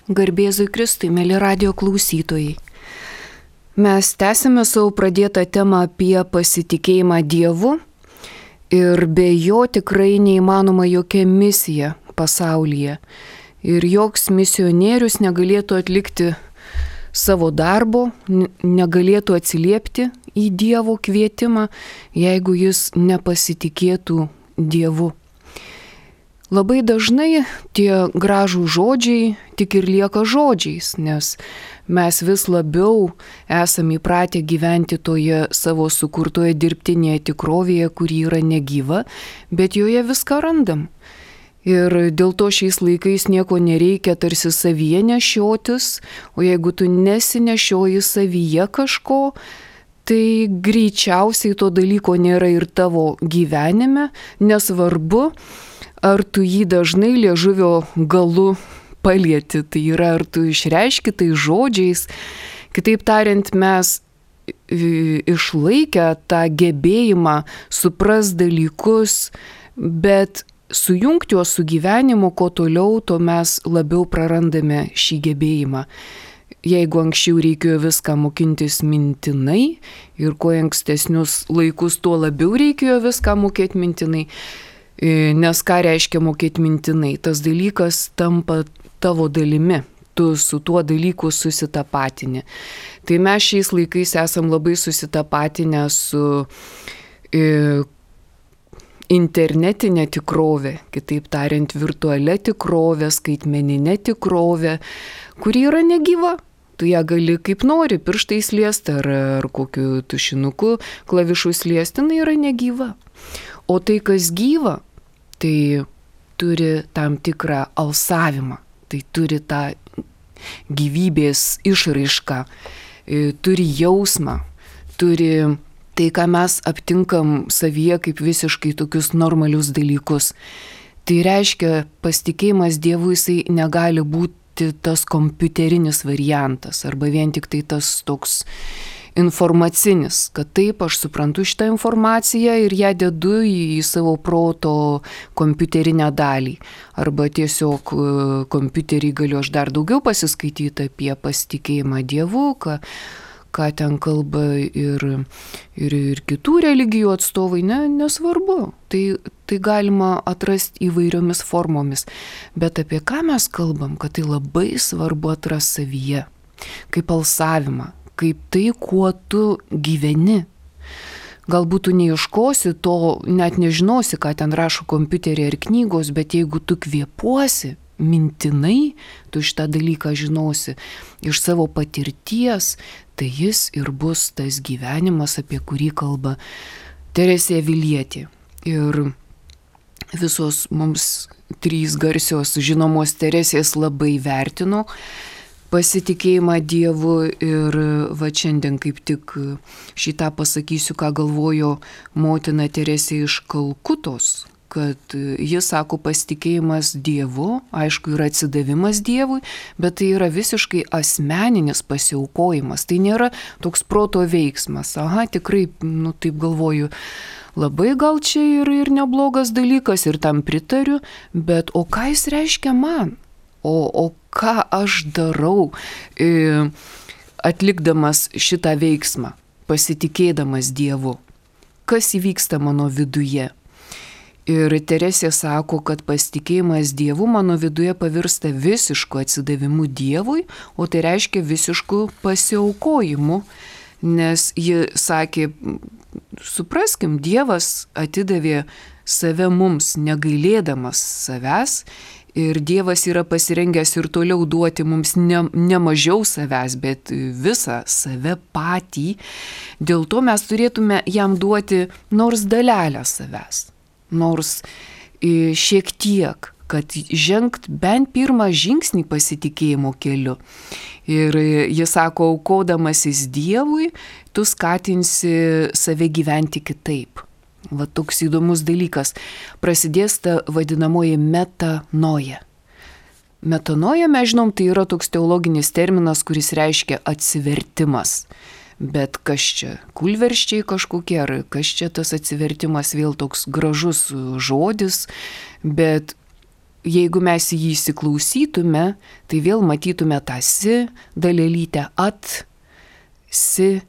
Garbėzui Kristui, mėly radio klausytojai. Mes tęsime savo pradėtą temą apie pasitikėjimą Dievu ir be jo tikrai neįmanoma jokia misija pasaulyje. Ir joks misionierius negalėtų atlikti savo darbo, negalėtų atsiliepti į Dievo kvietimą, jeigu jis nepasitikėtų Dievu. Labai dažnai tie gražų žodžiai tik ir lieka žodžiais, nes mes vis labiau esame įpratę gyventi toje savo sukurtoje dirbtinėje tikrovėje, kuri yra negyva, bet joje viską randam. Ir dėl to šiais laikais nieko nereikia tarsi savyje nešiotis, o jeigu tu nesinešioji savyje kažko, tai greičiausiai to dalyko nėra ir tavo gyvenime, nesvarbu, ar tu jį dažnai liežuvio galu palieti, tai yra, ar tu išreiški tai žodžiais. Kitaip tariant, mes išlaikę tą gebėjimą supras dalykus, bet sujungti juos su gyvenimu, kuo toliau, to mes labiau prarandame šį gebėjimą. Jeigu anksčiau reikėjo viską mokintis mintinai ir kuo ankstesnius laikus, tuo labiau reikėjo viską mokėti mintinai, nes ką reiškia mokėti mintinai? Tas dalykas tampa tavo dalimi, tu su tuo dalyku susitapatini. Tai mes šiais laikais esam labai susitapatinę su internetinė tikrovė, kitaip tariant, virtualia tikrovė, skaitmeninė tikrovė, kuri yra negyva. Tu ją gali kaip nori, pirštais liesti ar kokiu tušinuku klavišus liesti, jinai yra negyva. O tai, kas gyva, tai turi tam tikrą alsavimą, tai turi tą gyvybės išraišką, turi jausmą, turi tai, ką mes aptinkam savyje kaip visiškai tokius normalius dalykus. Tai reiškia, pasitikėjimas Dievu jisai negali būti tas kompiuterinis variantas arba vien tik tai tas toks informacinis, kad taip, aš suprantu šitą informaciją ir ją dedu į savo proto kompiuterinę dalį. Arba tiesiog kompiuterį galiu aš dar daugiau pasiskaityti apie pasitikėjimą Dievu, ką ten kalba ir kitų religijų atstovai, nesvarbu. Tai galima atrasti įvairiomis formomis. Bet apie ką mes kalbam, kad tai labai svarbu atrasti savyje, kaip alsavimą, kaip tai, kuo tu gyveni. Galbūt tu neieškosi to, net nežinosi, ką ten rašo kompiuterį ar knygos, bet jeigu tu kvėpuosi mintinai, tu šitą dalyką žinosi iš savo patirties, tai jis ir bus tas gyvenimas, apie kurį kalba Teresė Avilietė. Ir visos mums trys garsios žinomos Teresės labai vertino pasitikėjimą Dievu ir va šiandien kaip tik šitą pasakysiu, ką galvojo motina Teresė iš Kalkutos, kad jis sako pasitikėjimas Dievu, aišku, yra atsidavimas Dievui, bet tai yra visiškai asmeninis pasiaukojimas, tai nėra toks proto veiksmas. Aha, tikrai, taip galvoju, labai gal čia ir neblogas dalykas ir tam pritariu, bet o ką jis reiškia man? O ką aš darau atlikdamas šitą veiksmą, pasitikėdamas Dievu? Kas įvyksta mano viduje? Ir Teresė sako, kad pasitikėjimas Dievu mano viduje pavirsta visišku atsidavimu Dievui, o tai reiškia visišku pasiaukojimu, nes ji sakė, supraskim, Dievas atidavė save mums negailėdamas savęs, ir Dievas yra pasirengęs ir toliau duoti mums ne mažiau savęs, bet visą save patį. Dėl to mes turėtume jam duoti nors dalelę savęs, nors šiek tiek, kad žengt bent pirmą žingsnį pasitikėjimo keliu. Ir jis sako, aukodamasis Dievui, tu skatinsi save gyventi kitaip. Va toks įdomus dalykas. Prasidės ta vadinamoji metanoja. Metanoja, mes žinom, tai yra toks teologinis terminas, kuris reiškia atsivertimas. Bet kas čia? Kūlversčiai kažkokie, ar kas čia tas atsivertimas, vėl toks gražus žodis, bet jeigu mes į jį įsiklausytume, tai vėl matytume tą si dalelytę, at, si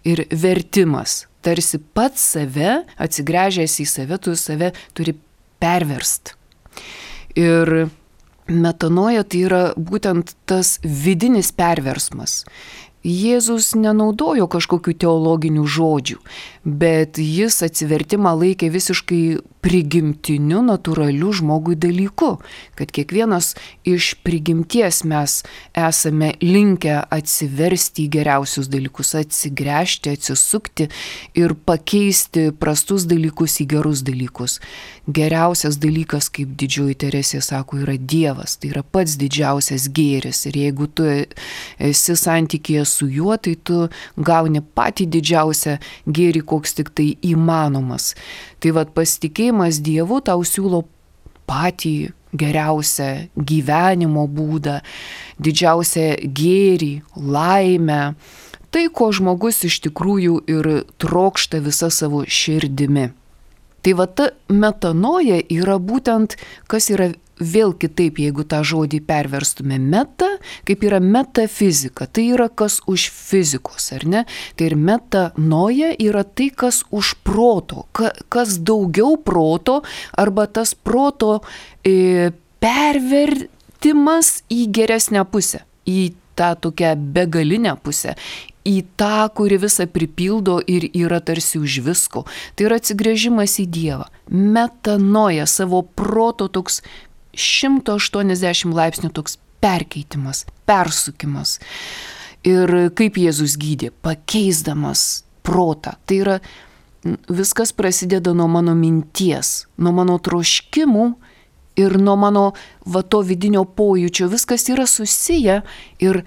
ir vertimas. Tarsi pats save, atsigręžęs į save, tu save turi perverst. Ir metanoja tai yra būtent tas vidinis perversmas. Jėzus nenaudojo kažkokių teologinių žodžių, bet jis atsivertimą laikė visiškai prigimtiniu, natūraliu žmogui dalyku, kad kiekvienas iš prigimties mes esame linkę atsiversti į geriausius dalykus, atsigręžti, atsisukti ir pakeisti prastus dalykus į gerus dalykus. Geriausias dalykas, kaip Didžioji Teresė sako, yra Dievas, tai yra pats didžiausias gėris ir jeigu tu esi santykėje su juo, tai tu gauni patį didžiausią gėrį, koks tik tai įmanomas. Tai vat pasitikėjimas Dievu tau siūlo patį geriausią gyvenimo būdą, didžiausią gėrį, laimę, tai ko žmogus iš tikrųjų ir trokšta visa savo širdimi. Tai va ta metanoja yra būtent, kas yra vėl kitaip, jeigu tą žodį perverstume meta, kaip yra metafizika, tai yra kas už fizikos, ar ne? Tai ir metanoja yra tai, kas už proto, kas daugiau proto, arba tas proto pervertimas į geresnę pusę, į tą tokią begalinę pusę, į tą, kuri visą pripildo ir yra tarsi už visko. Tai yra atsigręžimas į Dievą. Metanoja, savo proto toks 180 laipsnių toks perkeitimas, persukimas. Ir kaip Jėzus gydė, pakeisdamas protą. Tai yra, viskas prasideda nuo mano minties, nuo mano troškimų ir nuo mano to vidinio pojūčio. Viskas yra susiję ir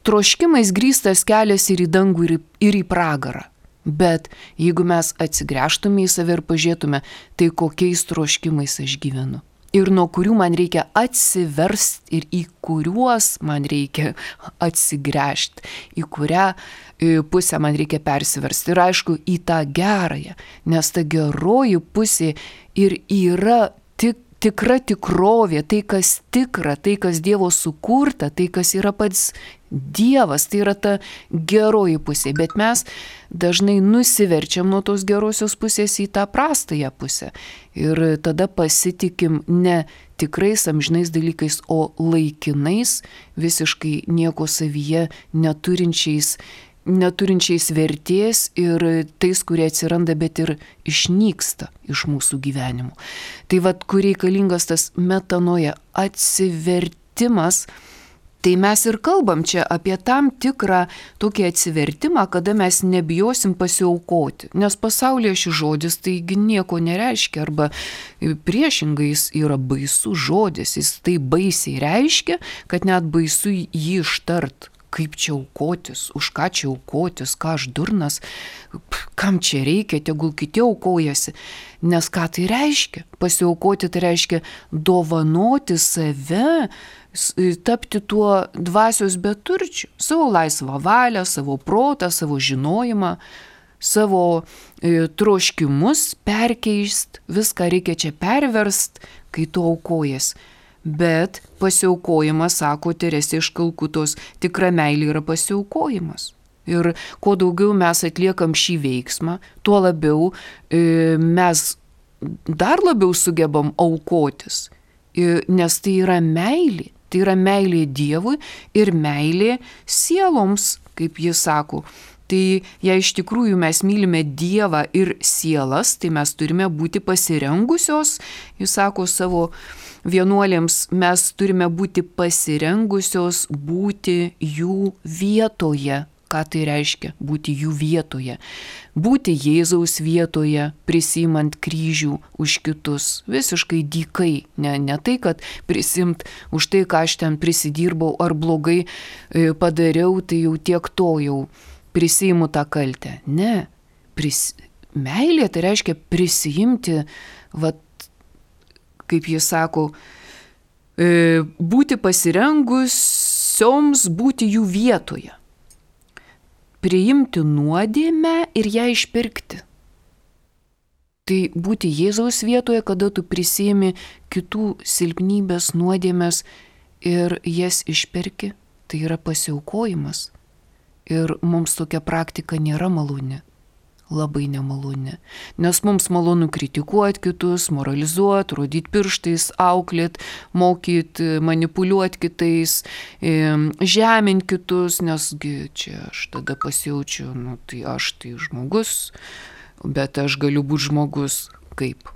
troškimais grįstas kelias ir į dangų, ir į pragarą. Bet jeigu mes atsigręžtume į save ir pažiūrėtume, tai kokiais troškimais aš gyvenu. Ir nuo kurių man reikia atsiversti ir į kuriuos man reikia atsigręžti, į kurią pusę man reikia persiversti. Ir aišku, į tą gerąją, nes ta geroji pusė ir yra tikra tikrovė, tai kas tikra, tai kas Dievo sukurta, tai kas yra pats Dievas, tai yra ta geroji pusė. Bet mes dažnai nusiverčiam nuo tos gerosios pusės į tą prastąją pusę. Ir tada pasitikim ne tikrais amžinais dalykais, o laikinais, visiškai nieko savyje neturinčiais vertės ir tais, kurie atsiranda, bet ir išnyksta iš mūsų gyvenimų. Tai vat, kur reikalingas tas metanoja, atsivertimas, tai mes ir kalbam čia apie tam tikrą tokį atsivertimą, kada mes nebijosim pasiaukoti. Nes pasaulyje šis žodis taigi nieko nereiškia, arba priešingai jis yra baisus žodis, jis tai baisiai reiškia, kad net baisu jį ištart. Kaip čia aukotis, už ką čia aukotis, ką aš durnas, kam čia reikia, tegul kiti aukojasi. Nes ką tai reiškia? Pasiaukoti tai reiškia dovanoti save, tapti tuo dvasios beturčiu, savo laisvą valią, savo protą, savo žinojimą, savo troškimus perkeist, viską reikia čia perverst, kai tu aukojas. Bet pasiaukojimas, sako Teresė iš Kalkutos, tikra meilė yra pasiaukojimas. Ir kuo daugiau mes atliekam šį veiksmą, tuo labiau mes dar labiau sugebam aukotis. Nes tai yra meilė. Tai yra meilė Dievui ir meilė sieloms, kaip jis sako. Tai jei iš tikrųjų mes mylime Dievą ir sielas, tai mes turime būti pasirengusios, jis sako savo vienuolėms, mes turime būti pasirengusios būti jų vietoje. Ką tai reiškia? Būti jų vietoje. Būti Jėzaus vietoje, prisimant kryžių už kitus. Visiškai dykai. Ne tai, kad prisimt už tai, ką aš ten prisidirbau ar blogai padariau, tai jau tiek to jau prisiimu tą kaltę. Ne. Meilė tai reiškia prisijimti, kaip jis sako, būti pasirengusioms būti jų vietoje. Priimti nuodėmę ir ją išpirkti. Tai būti Jėzaus vietoje, kada tu prisiimi kitų silpnybės, nuodėmės ir jas išperki, tai yra pasiaukojimas. Ir mums tokia praktika nėra maloni. Labai nemaloni. Nes mums malonu kritikuoti kitus, moralizuoti, rodyti pirštais, auklėti, mokyti, manipuliuoti kitais, žeminti kitus, nesgi čia aš tada pasijaučiu, tai aš tai žmogus, bet aš galiu būti žmogus kaip?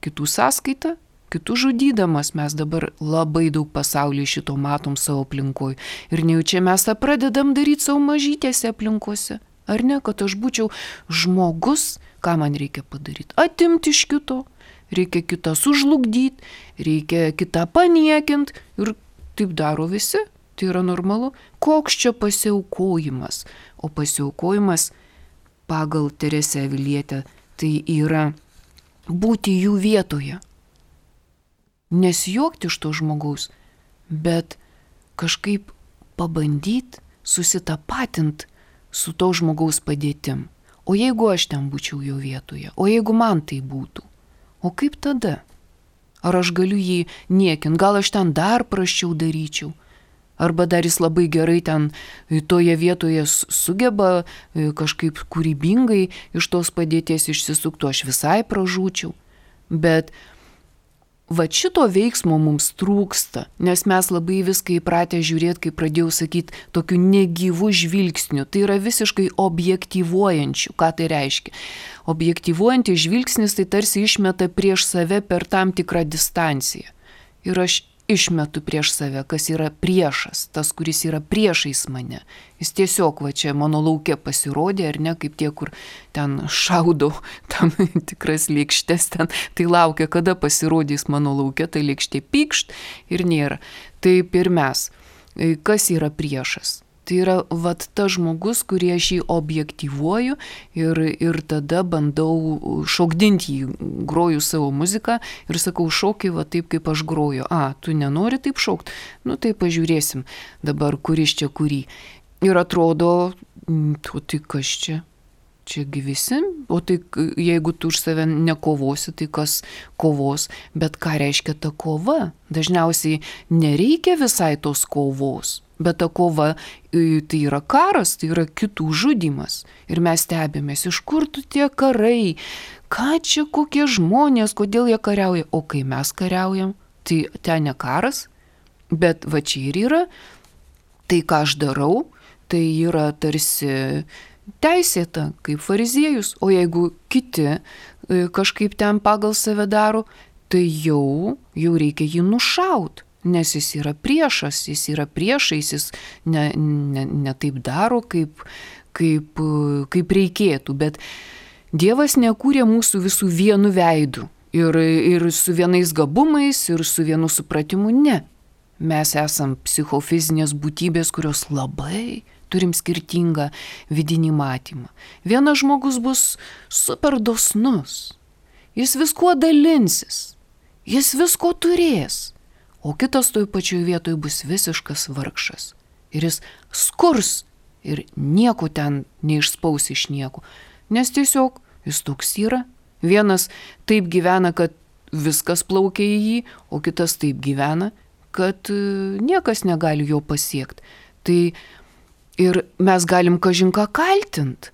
Kitų sąskaita? Kitų žudydamas. Mes dabar labai daug pasaulyje šito matom savo aplinkoje. Ir nejaučia mes tą pradedam daryti savo mažytėse aplinkose. Ar ne, kad aš būčiau žmogus, ką man reikia padaryti? Atimti iš kito, reikia kitą sužlugdyti, reikia kitą paniekinti ir taip daro visi, tai yra normalu. Koks čia pasiaukojimas? O pasiaukojimas pagal Teresę Avilietę tai yra būti jų vietoje. Nesijuokti iš to žmogaus, bet kažkaip pabandyti susitapatinti su to žmogaus padėtim. O jeigu aš ten būčiau jo vietoje? O jeigu man tai būtų? O kaip tada? Ar aš galiu jį niekinti? Gal aš ten dar prasčiau daryčiau? Arba dar jis labai gerai ten toje vietoje sugeba kažkaip kūrybingai iš tos padėties išsisuktų, aš visai pražūčiau. Bet va šito veiksmo mums trūksta, nes mes labai viską įpratę žiūrėti, kaip pradėjau sakyti, tokiu negyvu žvilgsniu. Tai yra visiškai objektyvuojančiu. Ką tai reiškia? Objektyvuojantis žvilgsnis tai tarsi išmeta prieš save per tam tikrą distanciją. Ir aš išmetu prieš save, kas yra priešas, tas, kuris yra priešais mane. Jis tiesiog va čia mano lauke pasirodė, ar ne, kaip tie, kur ten šaudo tam tikras lėkštes ten, tai laukia, kada pasirodys mano lauke, tai lėkštė pykšt ir nėra. Taip ir mes. Kas yra priešas? Tai yra vat tas žmogus, kurį aš jį objektyvuoju ir tada bandau šokdinti jį, groju savo muziką ir sakau, šoki va taip, kaip aš groju. Tu nenori taip šokti? Tai pažiūrėsim dabar, kuris čia kurį. Ir atrodo, tai kas čia? Čiagi visi, o tai jeigu tu už save nekovosi, tai kas kovos, bet ką reiškia ta kova? Dažniausiai nereikia visai tos kovos, bet ta kova tai yra karas, tai yra kitų žudymas. Ir mes stebėmės, iš kur tu tie karai, ką čia kokie žmonės, kodėl jie kariauja, o kai mes kariaujam, tai ten ne karas, bet va čia ir yra, tai ką aš darau, tai yra tarsi teisėta, kaip fariziejus, o jeigu kiti kažkaip ten pagal save daro, tai jau reikia jį nušaut, nes jis yra priešas, jis yra priešais, jis ne taip daro, kaip reikėtų, bet Dievas nekūrė mūsų visų vienu veidu ir su vienais gabumais, ir su vienu supratimu, ne. Mes esam psichofizinės būtybės, kurios labai turim skirtingą vidinį matymą. Vienas žmogus bus super dosnus, jis viskuo dalinsis, jis visko turės, o kitas toj pačioj vietoj bus visiškas vargšas. Ir jis skurs ir nieko ten neišspaus iš nieko, nes tiesiog jis toks yra. Vienas taip gyvena, kad viskas plaukia į jį, o kitas taip gyvena, kad niekas negali jo pasiekti. Tai ir mes galim kažin ką kaltint,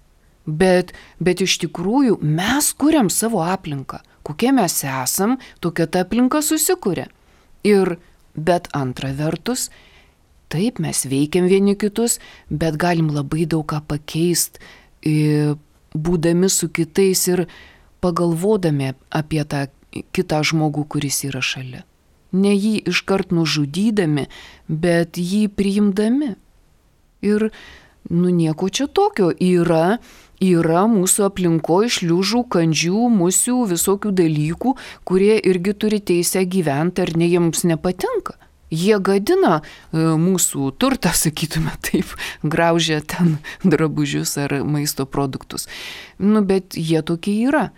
bet iš tikrųjų mes kuriam savo aplinką. Kokie mes esam, tokia ta aplinka susikuria. Bet antra vertus, taip mes veikiam vieni kitus, bet galim labai daug ką pakeisti, būdami su kitais ir pagalvodami apie tą kitą žmogų, kuris yra šalia. Ne jį iškart nužudydami, bet jį priimdami. Ir nieko čia tokio. Yra mūsų aplinkoje šliužų, kandžių, musių, visokių dalykų, kurie irgi turi teisę gyventi, ar ne jiems nepatinka. Jie gadina mūsų turtą, sakytume taip, graužia ten drabužius ar maisto produktus. Bet jie tokie yra.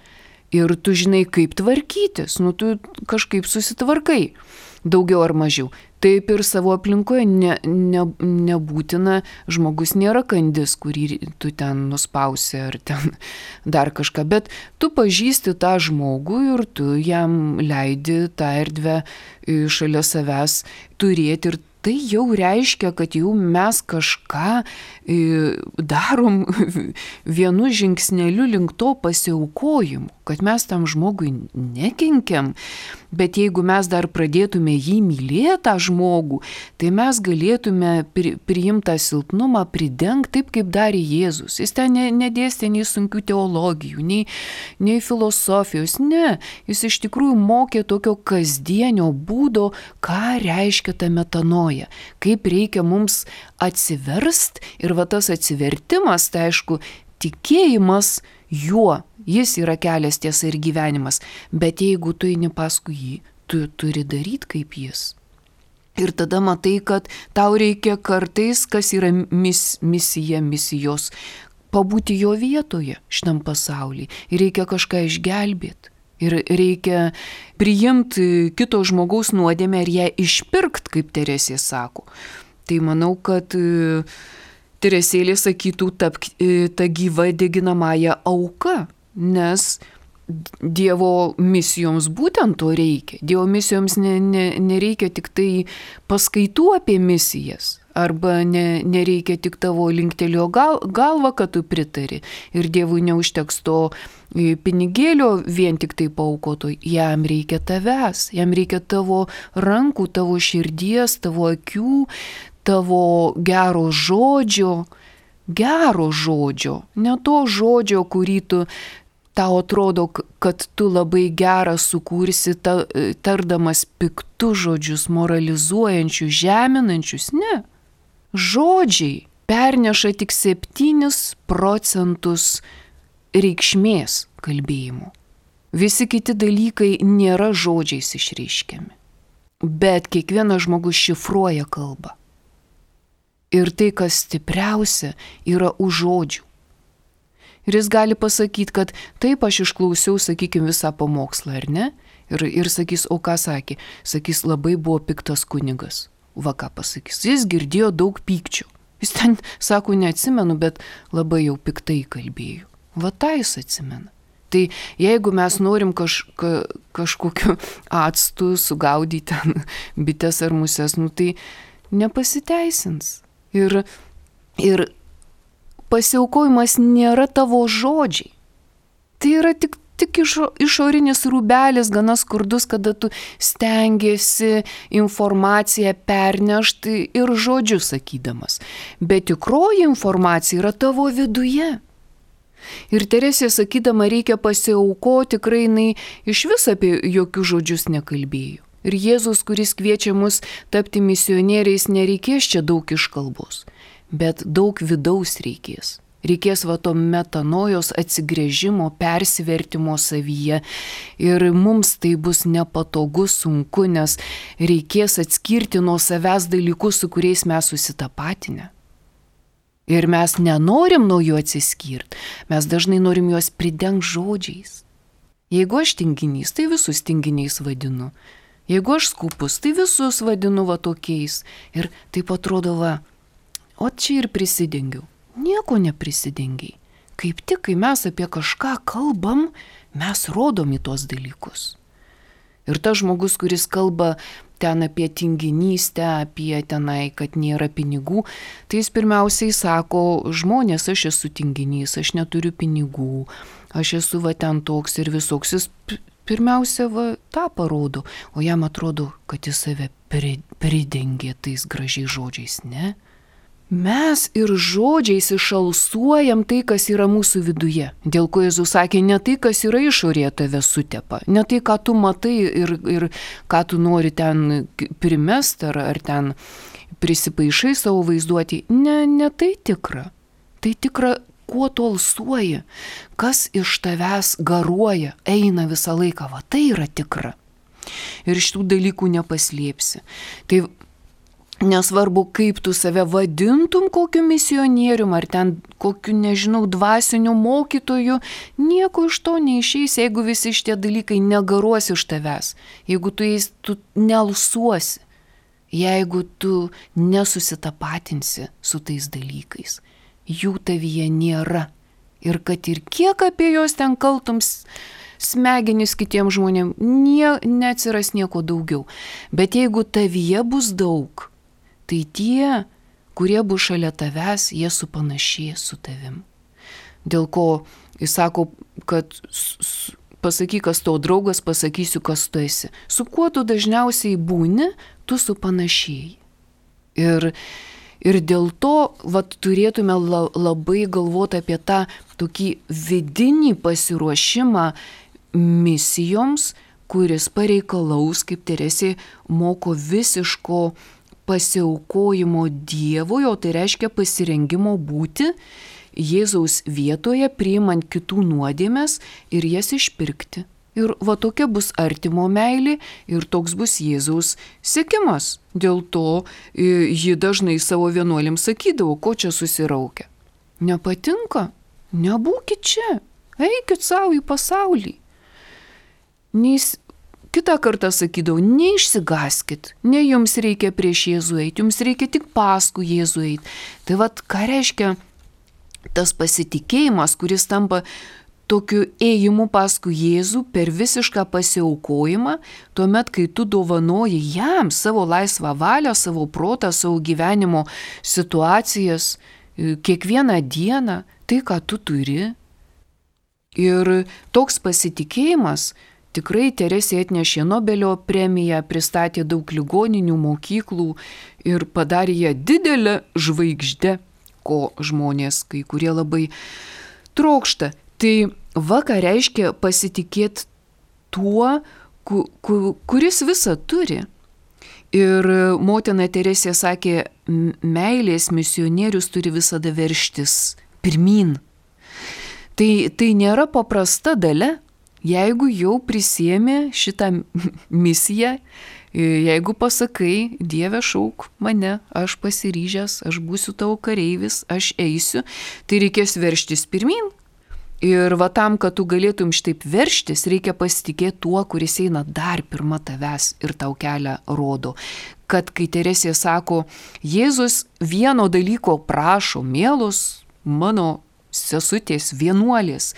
Ir tu žinai, kaip tvarkytis, tu kažkaip susitvarkai. daugiau ar mažiau. Taip ir savo aplinkoje nebūtina, žmogus nėra kandis, kurį tu ten nuspausi ar ten dar kažką, bet tu pažįsti tą žmogų ir tu jam leidi tą erdvę šalia savęs turėti ir tai jau reiškia, kad jau mes kažką darom vienu žingsneliu link to pasiaukojimo, kad mes tam žmogui nekenkiam, bet jeigu mes dar pradėtume jį mylėti tą žmogų, tai mes galėtume priimtą silpnumą pridengti taip, kaip darė Jėzus. Jis ten nedėstė nei sunkių teologijų, nei filosofijos, ne. Jis iš tikrųjų mokė tokio kasdienio būdo, ką reiškia ta metanoja, kaip reikia mums atsiverst ir va tas atsivertimas, tai aišku, tikėjimas juo, jis yra kelias, tiesa ir gyvenimas, bet jeigu tu eini paskui jį, tu turi daryti kaip jis. Ir tada matai, kad tau reikia kartais, kas yra misijos, pabūti jo vietoje šitam pasaulyje. Ir reikia kažką išgelbėti. Ir reikia priimti kito žmogaus nuodėmę ir ją išpirkti, kaip Teresė sako. Tai manau, kad Teresėlė sakytų ta gyva deginamąją auką, nes Dievo misijoms būtent to reikia. Dievo misijoms nereikia tik tai paskaitų apie misijas, arba nereikia tik tavo linktelio galvą, kad tu pritari. Ir Dievui neužteks to pinigėlio vien tik tai paaukoto, jam reikia tavęs, jam reikia tavo rankų, tavo širdies, tavo akių, tavo gero žodžio, ne to žodžio, kurį tau atrodo, kad tu labai gerą sukursi, tardamas piktus žodžius, moralizuojančius, žeminančius. Ne. Žodžiai perneša tik 7% reikšmės kalbėjimo. Visi kiti dalykai nėra žodžiais išreiškiami. Bet kiekvienas žmogus šifruoja kalbą. Ir tai, kas stipriausia, yra už žodžių. Ir jis gali pasakyti, kad taip aš išklausiau, sakykime, visą pamokslą, ar ne? Ir sakys, o ką sakė? Sakys, labai buvo piktas kunigas. Va ką pasakys. Jis girdėjo daug pykčio. Jis ten, sako, neatsimenu, bet labai jau piktai kalbėjo. Va tą jis atsimena. Tai jeigu mes norim kažkokiu actu sugaudyti ten bites ar muses, tai nepasiteisins. Ir pasiaukojimas nėra tavo žodžiai. Tai yra tik išorinis rūbelis, gana skurdus, kada tu stengiasi informaciją pernešti ir žodžiu sakydamas. Bet tikroji informacija yra tavo viduje. Ir Teresė sakydama reikia pasiaukoti, tikrai jinai iš vis apie jokius žodžius nekalbėjo. Ir Jėzus, kuris kviečia mus tapti misionieriais, nereikės čia daug iškalbos. Bet daug vidaus reikės. Reikės va to metanojos atsigręžimo, persivertimo savyje. Ir mums tai bus nepatogu, sunku, nes reikės atskirti nuo savęs dalykus, su kuriais mes susitapatinę. Ir mes nenorim nuo jų atsiskirti. Mes dažnai norim juos pridengti žodžiais. Jeigu aš tinginys, tai visus tinginiais vadinu. Jeigu aš skupus, tai visus vadinu va tokiais. Ir taip atrodo va. O čia ir prisidengiau. Nieko neprisidengiai. Kaip tik, kai mes apie kažką kalbam, mes rodom į tuos dalykus. Ir tas žmogus, kuris kalba ten apie tinginystę, apie tenai, kad nėra pinigų, tai jis pirmiausiai sako, žmonės, aš esu tinginys, aš neturiu pinigų, aš esu va ten toks ir visoks. Jis pirmiausia va tą parodo, o jam atrodo, kad jis save pridengė tais gražiais žodžiais, ne? Mes ir žodžiais išalsuojam tai, kas yra mūsų viduje. Dėl ko Jėzus sakė, ne tai, kas yra išorėje tave sutepa, ne tai, ką tu matai ir ką tu nori ten primest ar ten prisipaišai savo vaizduotį. Ne tai tikra. Tai tikra, kuo tu alsuoji, kas iš tavęs garuoja, eina visą laiką. Va, tai yra tikra. Ir šitų dalykų nepaslėpsi. Tai Nesvarbu, kaip tu save vadintum kokiu misionierium, ar ten kokiu, nežinau, dvasiniu mokytoju, nieko iš to neišeis, jeigu visi šitie dalykai negaruos iš tavęs, jeigu tu nealsuosi, jeigu tu nesusitapatinsi su tais dalykais. Jų tavyje nėra. Ir kad ir kiek apie juos ten kaltums smegenis kitiems žmonėms, neatsiras nieko daugiau. Bet jeigu tavyje bus daug, tai tie, kurie bus šalia tavęs, jie supanašės su tavim. Dėl ko jis sako, kad pasakyk, kas tavo draugas, pasakysiu, kas tu esi. Su kuo tu dažniausiai būni, tu supanašėjai. Ir dėl to turėtume labai galvoti apie tą tokį vidinį pasiruošimą misijoms, kuris pareikalaus, kaip Teresė moko, visiško pasiaukojimo Dievui, o tai reiškia pasirengimo būti Jėzaus vietoje, priimant kitų nuodėmes ir jas išpirkti. Ir tokia bus artimo meilė ir toks bus Jėzaus sekimas. Dėl to ji dažnai savo vienuolėms sakydavo, ko čia susiraukia. Nepatinka? Nebūkit čia, eikit savo į pasaulį. Kitą kartą sakydavau, neišsigaskit, ne jums reikia prieš Jėzų eiti, jums reikia tik paskui Jėzų eiti. Tai ką reiškia tas pasitikėjimas, kuris tampa tokiu ėjimu paskui Jėzų per visišką pasiaukojimą, tuomet, kai tu dovanoji jam savo laisvą valią, savo protą, savo gyvenimo situacijas, kiekvieną dieną, tai, ką tu turi. Ir toks pasitikėjimas tikrai Teresė atnešė Nobelio premiją, pristatė daug ligoninių, mokyklų ir padarė ją didelę žvaigždę, ko žmonės kai kurie labai trokšta. Tai ką reiškia pasitikėti tuo, kuris visą turi. Ir motina Teresė sakė, meilės misionierius turi visada verštis pirmyn. Tai nėra paprasta dalia. Jeigu jau prisiėmė šitą misiją, jeigu pasakai, Dieve, šauk mane, aš pasiryžęs, aš būsiu tavo kareivis, aš eisiu, tai reikės verštis pirmyn. Ir tam, kad tu galėtum šitaip verštis, reikia pasitikėti tuo, kuris eina dar pirma tavęs ir tau kelią rodo. Kad kai Teresė sako, Jėzus vieno dalyko prašo, mielos mano sesutės, vienuolės,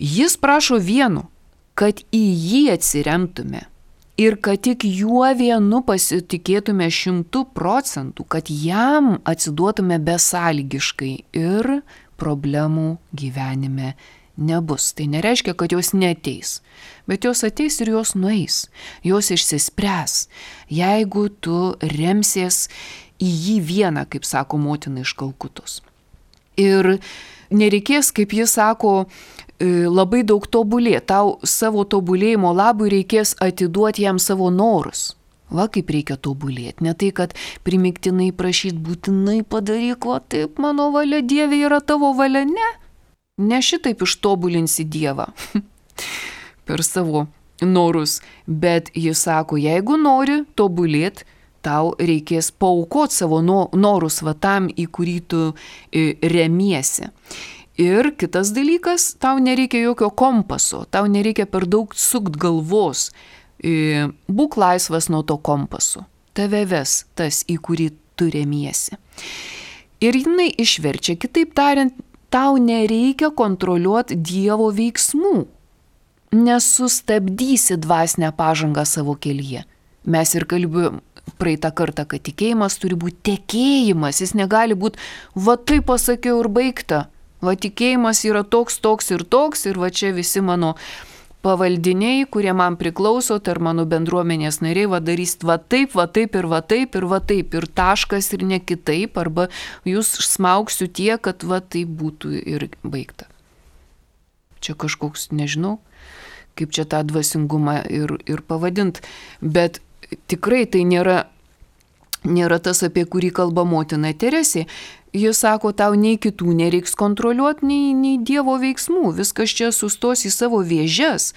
jis prašo vieno, kad į jį atsiremtume ir kad tik juo vienu pasitikėtume 100%, kad jam atsiduotume besąlygiškai ir problemų gyvenime nebus. Tai nereiškia, kad jos neateis, bet jos ateis ir jos nueis, jos išsispręs, jeigu tu remsies į jį vieną, kaip sako motina iš Kalkutos. Ir nereikės, kaip jis sako, labai daug tobulėti. Tau savo tobulėjimo labui reikės atiduoti jam savo norus. Kaip reikia tobulėti. Ne tai, kad primiktinai prašyti, būtinai padaryk, taip mano valia, Dieve, yra tavo valia. Ne šitaip ištobulinsi Dievą per savo norus. Bet jis sako, jeigu nori tobulėti, tau reikės paaukoti savo norus tam, į kurį tu remiesi. Ir kitas dalykas, tau nereikia jokio kompaso, tau nereikia per daug sukt galvos. Būk laisvas nuo to kompaso. Tave ves tas, į kurį tu remiesi. Ir jinai išverčia, kitaip tariant, tau nereikia kontroliuoti Dievo veiksmų. Nesustabdysi dvasinę pažangą savo kelyje. Mes ir kalbėjom praeitą kartą, kad tikėjimas turi būti tekėjimas. Jis negali būti, taip pasakiau ir baigta. Tikėjimas yra toks ir toks ir čia visi mano pavaldiniai, kurie man priklauso, ar mano bendruomenės nariai, darys taip ir taškas ir ne kitaip, arba jūs smauksiu tiek, kad taip būtų ir baigta. Čia kažkoks, nežinau, kaip čia tą dvasingumą ir pavadint, bet tikrai tai nėra tas, apie kurį kalba motina Teresė. Jis sako, tau nei kitų nereiks kontroliuoti, nei Dievo veiksmų. Viskas čia sustos į savo vėžes.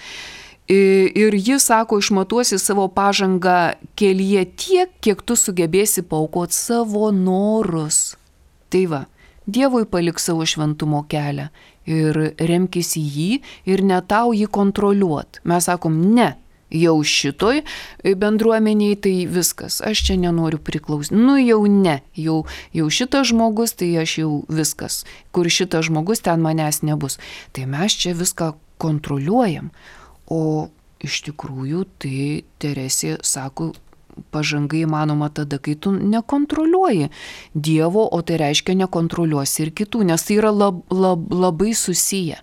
Ir jis sako, išmatuosi savo pažangą kelyje tiek, kiek tu sugebėsi paaukoti savo norus. Tai va, Dievui palik savo šventumo kelią ir remkis į jį ir ne tau jį kontroliuot. Mes sakom, ne, jau šitoj bendruomeniai tai viskas, aš čia nenoriu priklausyti. Nu jau ne, jau šitas žmogus, tai aš jau viskas, kur šitas žmogus, ten manęs nebus. Tai mes čia viską kontroliuojam. O iš tikrųjų tai Teresė sako, pažanga įmanoma tada, kai tu nekontroliuoji Dievo, o tai reiškia nekontroliuosi ir kitų, nes tai yra labai susiję.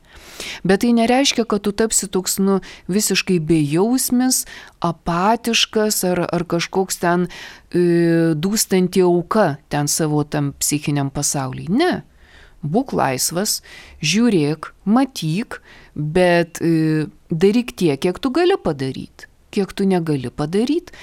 Bet tai nereiškia, kad tu tapsi toks visiškai bejausmis, apatiškas ar kažkoks ten dūstanti auka ten savo tam psichiniam pasaulyje. Ne. Būk laisvas, žiūrėk, matyk, bet daryk tiek, kiek tu gali padaryti. Kiek tu negali padaryti,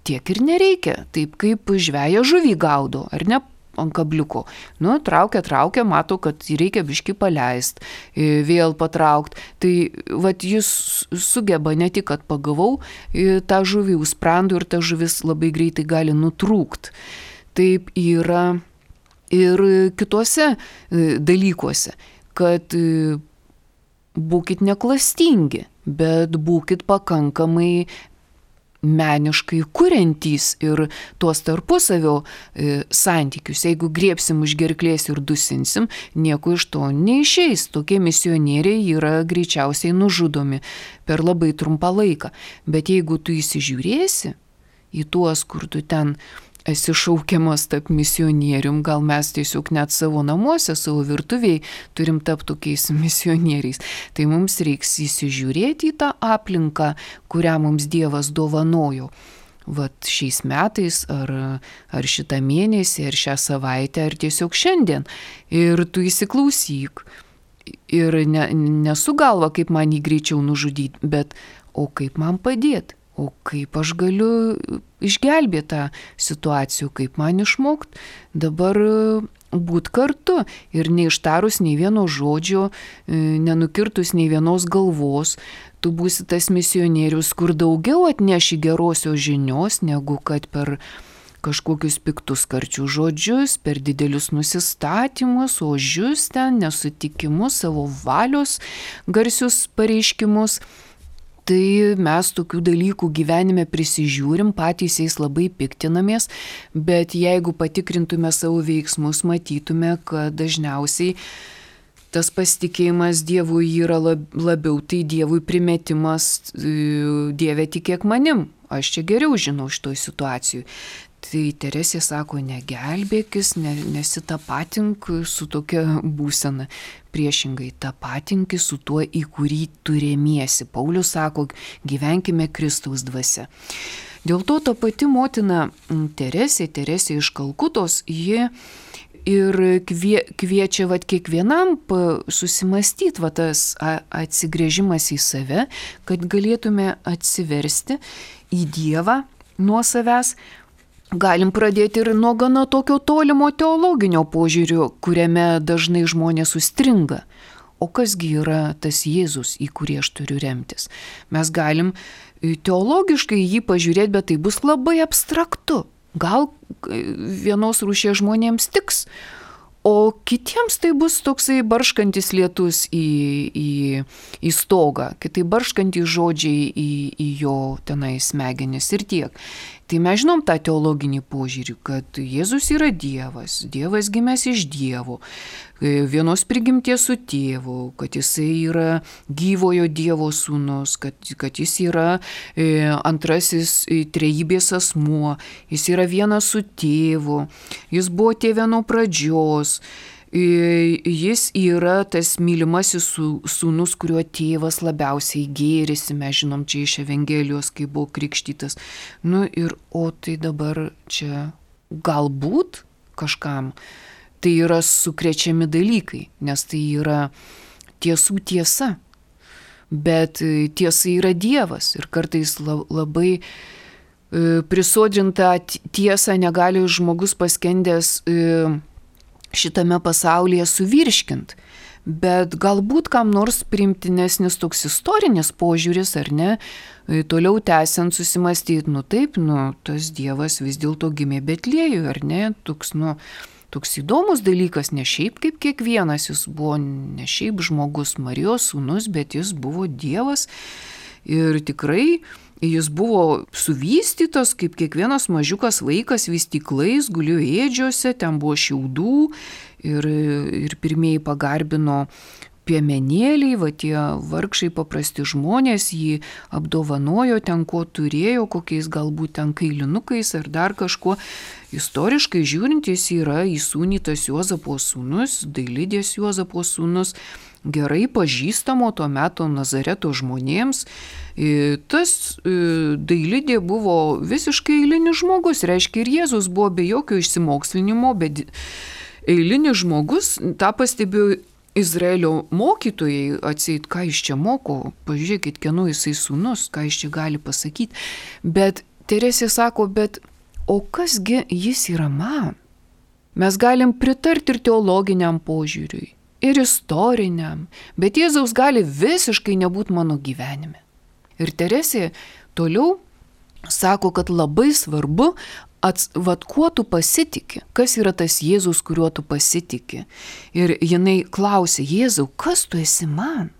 tiek ir nereikia. Taip kaip žveja žuvį gaudo, ar ne, ant kabliuko. Traukia, mato, kad reikia biškį paleist, vėl patraukt. Tai vat jis sugeba ne tik, kad pagavau tą žuvį užsprendų ir ta žuvis labai greitai gali nutrūkt. Taip yra ir kituose dalykuose, kad būkit neklastingi, bet būkit pakankamai meniškai kuriantys ir tuos tarpusavio santykius. Jeigu griebsim už gerklės ir dusinsim, nieko iš to neišeis. Tokie misionieriai yra greičiausiai nužudomi per labai trumpą laiką. Bet jeigu tu įsižiūrėsi į tuos, kur tu ten esi šaukiamas tapti misionierium, gal mes tiesiog net savo namuose, savo virtuviai turim tapti tokiais misionieriais. Tai mums reiks įsižiūrėti į tą aplinką, kurią mums Dievas dovanojo. Vat šiais metais, ar šitą mėnesį, ar šią savaitę, ar tiesiog šiandien. Ir tu įsiklausyk. Ir nesu galva, kaip man jį greičiau nužudyti, bet o kaip man padėti. O kaip aš galiu išgelbėti tą situaciją, kaip man išmokti dabar būt kartu ir neištarus nei vieno žodžio, nenukirtus nei vienos galvos, tu būsi tas misionierius, kur daugiau atneši gerosios žinios, negu kad per kažkokius piktus karčių žodžius, per didelius nusistatymus, ožius ten, nesutikimus, savo valios garsius pareiškimus. Tai mes tokių dalykų gyvenime prisižiūrim, patys jais labai piktinamės, bet jeigu patikrintume savo veiksmus, matytume, kad dažniausiai tas pasitikėjimas Dievui yra labiau, tai Dievui primetimas, Dieve tikėk manim, aš čia geriau žinau šitoj situacijoj. Tai Teresė sako, negelbėkis, nesitapatink su tokia būsena. Priešingai, tapatinkis su tuo, į kurį tu remiesi. Paulius sako, gyvenkime Kristaus dvasia. Dėl to ta pati motina Teresė iš Kalkutos, ji ir kviečia kiekvienam susimastyti tas atsigręžimas į save, kad galėtume atsiversti į Dievą nuo savęs. Galim pradėti ir nuo gana tokio tolimo teologinio požiūrio, kuriame dažnai žmonės užstringa. O kasgi yra tas Jėzus, į kurį aš turiu remtis? Mes galim teologiškai jį pažiūrėti, bet tai bus labai abstraktu. Gal vienos rūšies žmonėms tiks, o kitiems tai bus toksai barškantis lietus į stogą, kitai barškantys žodžiai į jo tenai smegenis ir tiek. Tai mes žinom tą teologinį požiūrį, kad Jėzus yra Dievas, Dievas gimęs iš Dievo, vienos prigimties su tėvu, kad jisai yra gyvojo Dievo sūnus, kad jis yra antrasis trejybės asmuo, jis yra vienas su tėvu, jis buvo tėve nuo pradžios. Jis yra tas mylimasis sūnus, kuriuo tėvas labiausiai gėrisi, mes žinom čia iš Evangelijos, kai buvo krikštytas. O tai dabar čia galbūt kažkam tai yra sukrečiami dalykai, nes tai yra tiesų tiesa, bet tiesa yra Dievas ir kartais labai prisodrintą tiesą negali žmogus paskendęs šitame pasaulyje suvirškint, Bet galbūt kam nors priimtinesnis toks istorinis požiūris, ar ne, toliau tęsiant susimastyti, taip, tas Dievas vis dėlto gimė Betliejuje, ar ne, toks įdomus dalykas, ne šiaip kaip kiekvienas, jis buvo ne šiaip žmogus, Marijos sūnus, bet jis buvo Dievas ir tikrai jis buvo suvystytas, kaip kiekvienas mažiukas vaikas vystyklais, gulėjo ėdžiose, ten buvo šiaudų ir pirmieji pagarbino piemenėliai, tie vargšai paprasti žmonės jį apdovanojo ten, ko turėjo, kokiais galbūt ten kailinukais ar dar kažkuo. Istoriškai žiūrint, jis yra įsūnytas Juozapo sūnus, Dailidės Juozapo sūnus, gerai pažįstamo tuo metu Nazareto žmonėms. Tas Dailidė buvo visiškai eilinis žmogus, reiškia ir Jėzus buvo be jokio išsimokslinimo, bet eilinis žmogus, tą pastebėjo Izraelio mokytojai, atseit, ką jis čia moko, pažiūrėkit, kieno jisai sūnus, ką jis čia gali pasakyti. Bet Teresė sako, o kasgi jis yra man? Mes galim pritarti ir teologiniam požiūriui, ir istoriniam, bet Jėzaus gali visiškai nebūti mano gyvenime. Ir Teresė toliau sako, kad labai svarbu, kuo tu pasitiki, kas yra tas Jėzus, kuriuo tu pasitiki. Ir jinai klausė, Jėzau, kas tu esi man?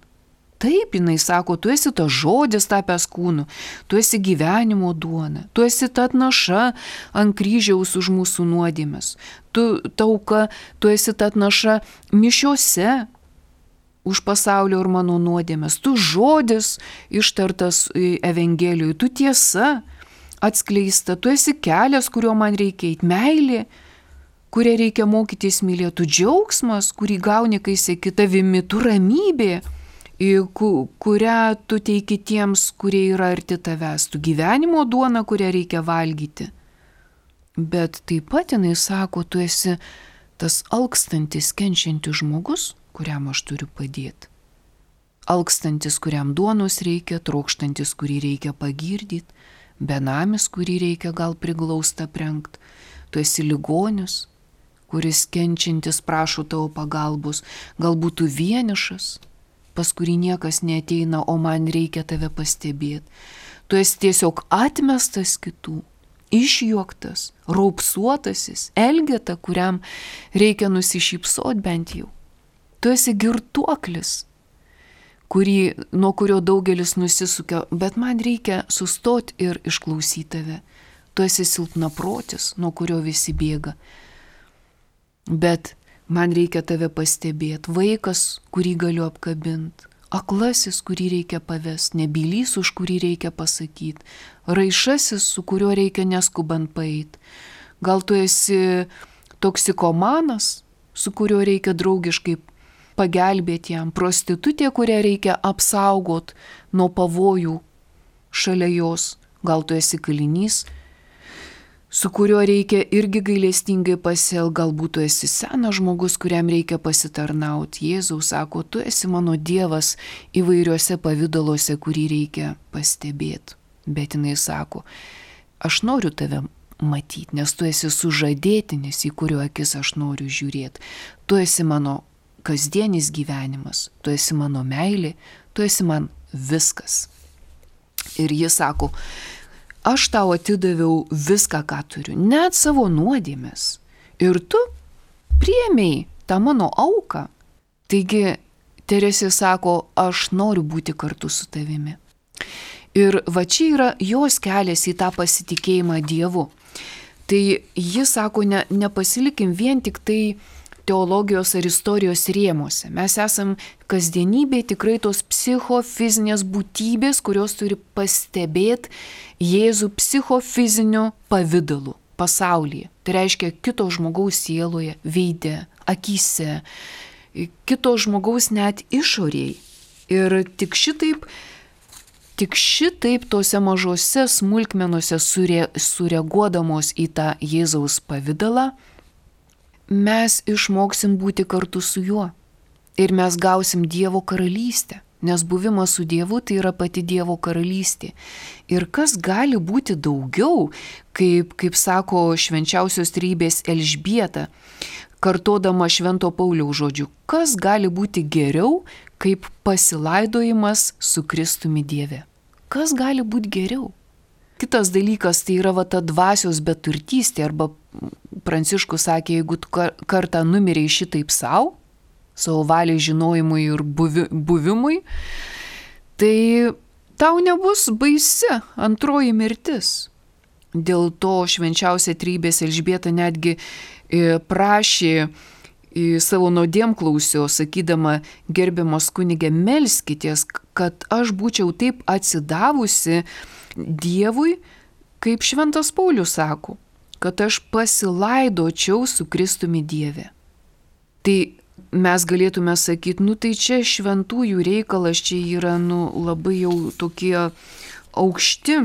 Taip, jinai sako, tu esi tas žodis tapęs kūnu, tu esi gyvenimo duona, tu esi ta atnaša ant kryžiaus už mūsų nuodėmes, tu tauka, tu esi ta atnaša mišiose už pasaulio ir mano nuodėmes, tu žodis ištartas Evangelijoje, tu tiesa atskleista, tu esi kelias, kuriuo man reikia eiti, meilė, kurią reikia mokytis mylėti, tu džiaugsmas, kurį gauni, kai seki tavimi, tu ramybė, kurią tu teiki tiems, kurie yra arti tavęs, tu gyvenimo duona, kurią reikia valgyti. Bet taip pat jinai sako, tu esi tas alkstantis, kenčiantis žmogus, kuriam aš turiu padėti. Alkstantis, kuriam duonos reikia, trokštantis, kurį reikia pagirdyti, benamis, kurį reikia gal priglausta prengt. Tu esi ligonis, kuris kenčiantis prašo tavo pagalbos, galbūt tu vienišas, pas kurį niekas neateina, o man reikia tave pastebėti. Tu esi tiesiog atmestas kitų, išjuoktas, raupsuotasis, elgeta, kuriam reikia nusišypsot bent jau. Tu esi girtuoklis, nuo kurio daugelis nusisukia, bet man reikia sustoti ir išklausyti tave. Tu esi silpnaprotis, nuo kurio visi bėga. Bet man reikia tave pastebėti. Vaikas, kurį galiu apkabinti. Aklasis, kurį reikia pavest. Nebylys, už kurį reikia pasakyti. Raišasis, su kuriuo reikia neskubant paeiti. Gal tu esi toksikomanas, su kuriuo reikia draugiškai pagelbėti jam, prostitutė, kurią reikia apsaugot nuo pavojų šalia jos. Gal tu esi kalinys, su kuriuo reikia irgi gailestingai pasielgti, galbūt tu esi senas žmogus, kuriam reikia pasitarnauti. Jėzaus sako, tu esi mano Dievas įvairiuose pavidaluose, kurį reikia pastebėti. Bet jinai sako, aš noriu tave matyti, nes tu esi sužadėtinis, į kurio akis aš noriu žiūrėti. Tu esi mano kasdienis gyvenimas, tu esi mano meilė, tu esi man viskas. Ir jis sako, aš tau atidaviau viską, ką turiu, net savo nuodėmes. Ir tu priėmei tą mano auką. Taigi Teresė sako, aš noriu būti kartu su tavimi. Ir va čia yra jos kelias į tą pasitikėjimą Dievu. Tai jis sako, nepasilikim vien tik tai teologijos ar istorijos rėmuose. Mes esam kasdienybėje tikrai tos psichofizinės būtybės, kurios turi pastebėti Jėzų psichofiziniu pavidalu pasaulyje. Tai reiškia kito žmogaus sieloje, veide, akyse, kito žmogaus net išorėje. Ir tik šitaip tose mažose smulkmenose sureaguodamos į tą Jėzaus pavidalą, mes išmoksim būti kartu su juo ir mes gausim Dievo karalystę, nes buvimas su Dievu tai yra pati Dievo karalystė. Ir kas gali būti daugiau, kaip sako švenčiausios trejybės Elžbieta, kartodama Švento Pauliaus žodžių, kas gali būti geriau, kaip pasilaidojimas su Kristumi Dieve? Kas gali būti geriau? Kitas dalykas tai yra ta dvasios beturtystė, arba Pranciškus sakė, jeigu tu kartą numirei šitaip savo valiai žinojimui ir buvimui, tai tau nebus baisi antroji mirtis. Dėl to švenčiausia trejybės Elžbieta netgi prašė savo nuodėmklausio, sakydama, gerbiamos kunige, melskitės, kad aš būčiau taip atsidavusi Dievui, kaip Šventas Paulius sako, kad aš pasilaidočiau su Kristumi Dieve. Tai mes galėtume sakyti, tai čia šventųjų reikalas, čia yra labai jau tokie aukšti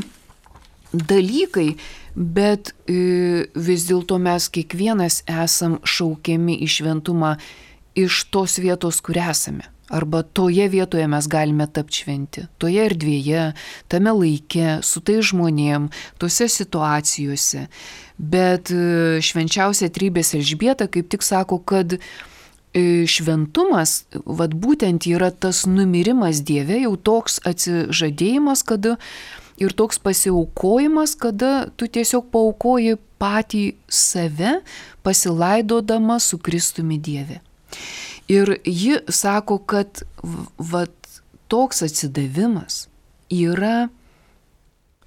dalykai, bet vis dėlto mes kiekvienas esam šaukiami į šventumą iš tos vietos, kur esame. Arba toje vietoje mes galime tapti šventi. Toje erdvėje, tame laike, su tai žmonėm, tose situacijose. Bet švenčiausia trejybės Elžbieta kaip tik sako, kad šventumas, būtent yra tas numirimas Dieve, jau toks atsižadėjimas, kada ir toks pasiaukojimas, kada tu tiesiog paaukoji patį save, pasilaidodama su Kristumi Dieve. Ir ji sako, kad toks atsidavimas yra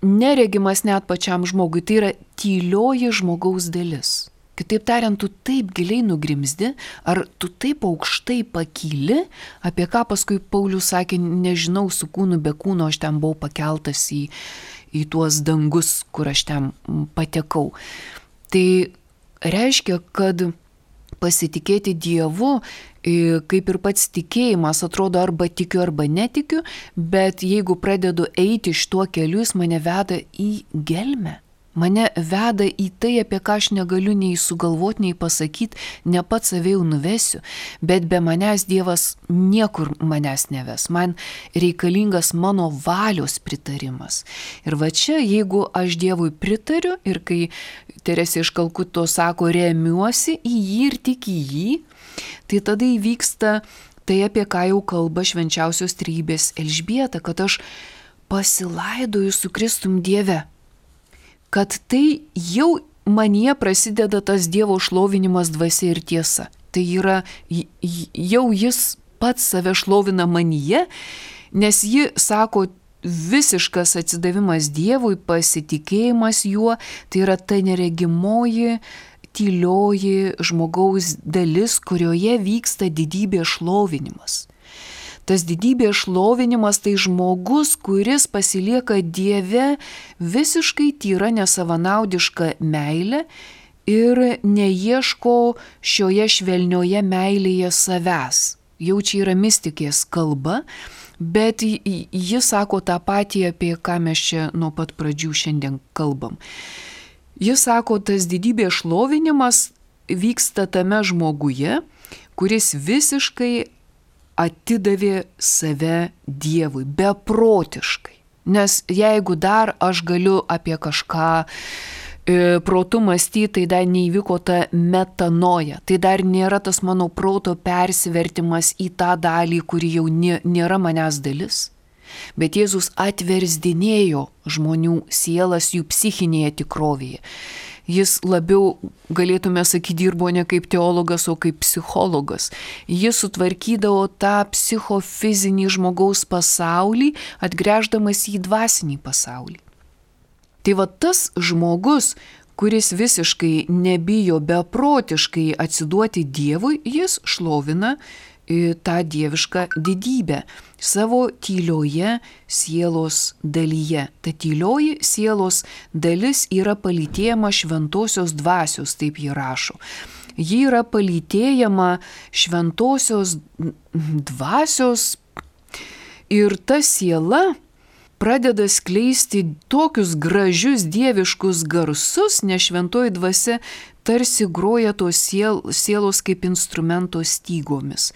neregimas net pačiam žmogui, tai yra tylioji žmogaus dalis. Kitaip tariant, tu taip giliai nugrimzdi, ar tu taip aukštai pakyli, apie ką paskui Paulius sakė, nežinau, su kūnu be kūno aš ten buvau pakeltas į tuos dangus, kur aš ten patekau. Tai reiškia, kad pasitikėti Dievu, kaip ir pats tikėjimas, atrodo arba tikiu, arba netikiu, bet jeigu pradedu eiti šituo keliu, jis mane veda į gelmę. Mane veda į tai, apie ką aš negaliu nei sugalvoti, nei pasakyti, ne pats save jau nuvesiu, bet be manęs Dievas niekur manęs neves. Man reikalingas mano valios pritarimas. Ir čia, jeigu aš Dievui pritariu ir kai Teresė iš Kalkuto sako, remiuosi į jį ir tik į jį, tai tada įvyksta tai, apie ką jau kalba švenčiausios trejybės Elžbieta, kad aš pasilaidoju su Kristum Dieve. Kad tai jau manyje prasideda tas Dievo šlovinimas dvasia ir tiesa. Tai yra jau jis pats save šlovina manyje, nes ji sako, visiškas atsidavimas Dievui, pasitikėjimas juo, tai yra ta neregimoji, tylioji žmogaus dalis, kurioje vyksta didybės šlovinimas. Tas didybės šlovinimas tai žmogus, kuris pasilieka Dieve visiškai tyra nesavanaudiška meilė ir neieško šioje švelnioje meilėje savęs. Jau čia yra mistikės kalba, bet ji sako tą patį, apie ką mes čia nuo pat pradžių šiandien kalbam. Jis sako, tas didybės šlovinimas vyksta tame žmoguje, kuris visiškai atidavė save Dievui, beprotiškai. Nes jeigu dar aš galiu apie kažką protu mąstyti, tai dar neįvyko ta metanoja, tai dar nėra tas mano proto persivertimas į tą dalį, kuri jau nėra manęs dalis. Bet Jėzus atversdinėjo žmonių sielas jų psichinėje tikrovėje. Jis labiau, galėtume sakyti, dirbo ne kaip teologas, o kaip psichologas. Jis sutvarkydavo tą psichofizinį žmogaus pasaulį, atgręždamas į dvasinį pasaulį. Tai tas žmogus, kuris visiškai nebijo beprotiškai atsiduoti Dievui, jis šlovina tą dievišką didybę savo tylioje sielos dalyje. Ta tylioji sielos dalis yra palytėjama šventosios dvasios, taip jį rašo. Ji yra palytėjama šventosios dvasios ir ta siela pradeda skleisti tokius gražius dieviškus garsus, nes šventoji dvasia tarsi groja tos sielos kaip instrumento stygomis.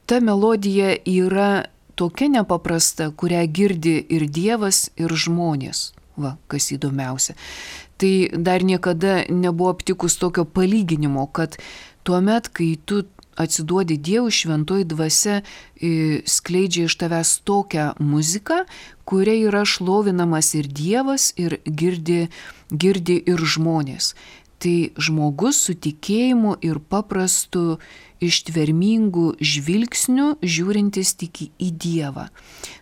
Ta melodija yra tokia nepaprasta, kurią girdi ir Dievas, ir žmonės. Va, kas įdomiausia. Tai dar niekada nebuvo aptikus tokio palyginimo, kad tuomet, kai tu atsiduodi Dievui, šventoji dvasia skleidžia iš tavęs tokią muziką, kuria yra šlovinamas ir Dievas, ir girdi ir žmonės. Tai žmogus su tikėjimu ir paprastu ištvermingu žvilgsniu žiūrintis tik į Dievą.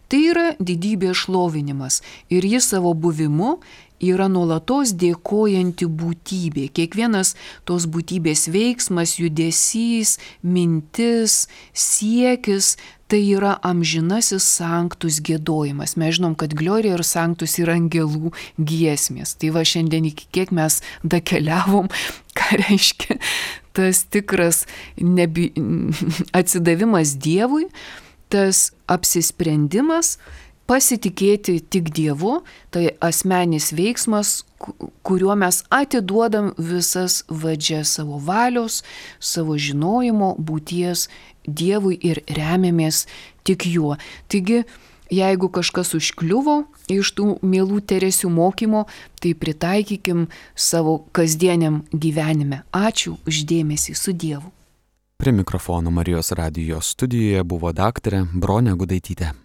Tai yra didybės šlovinimas ir jis savo buvimu yra nuolatos dėkojanti būtybė. Kiekvienas tos būtybės veiksmas, judesys, mintis, siekis, tai yra amžinasis sanctus giedojimas. Mes žinom, kad Gloria ir sanctus yra angelų giesmės. Tai va šiandien iki kiek mes dakeliavom, ką reiškia tas tikras atsidavimas Dievui, tas apsisprendimas pasitikėti tik Dievu, tai asmenis veiksmas, kuriuo mes atiduodam visas vadžias savo valios, savo žinojimo, būties Dievui ir remiamės tik juo. Taigi, jeigu kažkas užkliuvo iš tų mielų Teresių mokymo, tai pritaikykim savo kasdieniam gyvenime. Ačiū už dėmesį, su Dievu. Prie mikrofono Marijos radijo studijoje buvo daktarė Bronė Gudaitytė.